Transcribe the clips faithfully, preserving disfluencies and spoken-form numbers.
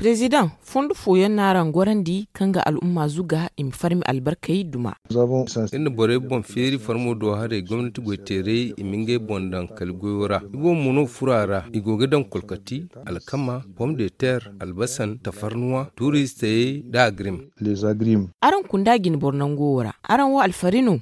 Prezidaŋ, fondo fooyaŋ no araŋ gorandi kaŋ ga al'umma zuga i ma farmi albarkey duma. Iri na borey boŋ feeri farmo do haray gomnati goyteerey i ma ngey boŋ daŋ kala goyo ra. Iboobo mo no furo a ra. I go ga daŋ kolkati, alkama, pom de ter, albasan, tafarnuwa, tuuristayey, nda agrim. Araŋ kunda jine boro nango wo ra araŋ wo alfari no?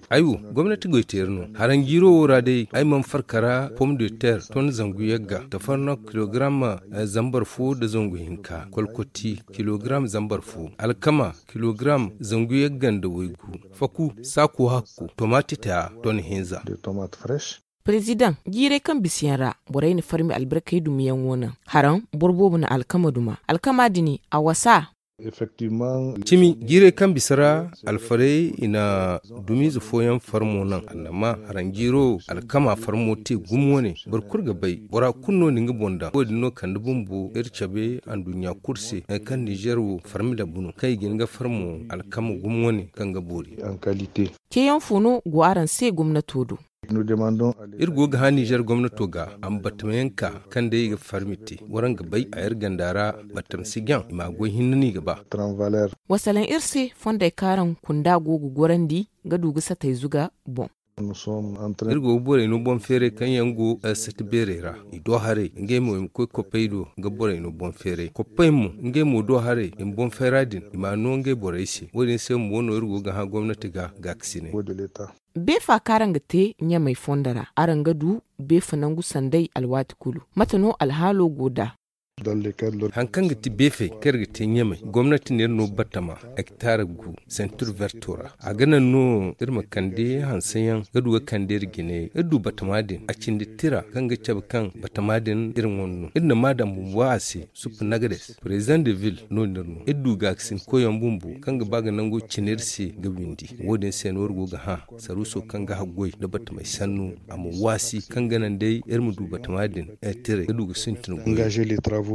Ay wo, gomnati goyteeri no. Haraŋ jiiro wo ra day ay mana farka ra pom de ter ton zangu yagga, tafarno kilogram zambar fo nda zangu hinka, kolkoti kilogram zambar fo, alkama kilogram zangu yagga nda waygu, faku, saaku hakku, tomati taya ton hinza. Prezidaŋ, jiirey kaŋ bisa yaŋ ra borey na farmi albarkey dumiyaŋo naŋ. Haraŋ, boro boobo na alkama duma. Alkama din, a wasa. Cimi, jiirey kaŋ bisa ra, alfarey i na dumiize fooyaŋ farmo naŋ. Annama haraŋ jiiro, alkama farmo te gumo wane. Boro kulu ga bay, bora kulu no na nga boŋ daŋ. Wo-din no kande bumbo iri cabe anduɲɲa kulu se, nangu kaŋ nizer wo farmi labu no kaŋ i ga hin ga farmo alkama gumo wane kaŋ ga boori. Ceeyaŋ fo no go araŋ se gomnato do? Iri go ga hã nizer gomnato ga, a ma batamayaŋ ka kaŋ day i ga farmi te. Waraŋ ga bay a iri ganda ra, batama si jaŋ i ma a goy hinne no i ga ba. Wasalaŋ iri se fondey kaŋ araŋ kunda go ga gorandi ga du ga satay zuga boŋ. Iri go ga borey no boŋ feeray kaŋ yaŋ go sati beerey ra, i do haray ngey mo i ma koy koppey do ga borey no boŋ feeray koppey mo ngey mo do haray i ma boŋ feera din i ma a no ngey borey se. Wo- din se bumbo no iri go ga hã gomnati ga gaakasinay. Beefa kaŋ araŋ ga te ɲamey fondo ra araŋ ga du beefa nangu sanday alwaati kulu? Mate no alhaalo go nd'a? Hari kaŋ ga ti beefey kaŋ iri ga te ɲamey, gomnati na iri no batama, hektar gu, sentir verto ra. A ga naŋ no iri ma kande hanseyaŋ ga du ga kande iri jine. Iri du batama din a cindi tira kaŋ ga cabe kaŋ batama din iri wane no. Iri na maa daŋ bumbo a se. Suppa nagades, president de ville no- din iri no. Iri du gaakasin koyyaŋ bumbo kaŋ ga ba ga nango cina iri se ga windi. Wo- din se no iri go ga hã saruuso kaŋ ga haggoy nda batamey sannu, a ma waasi kaŋ ga naŋ day iri ma du batama din. Iri tiray ga du ga sintin goy.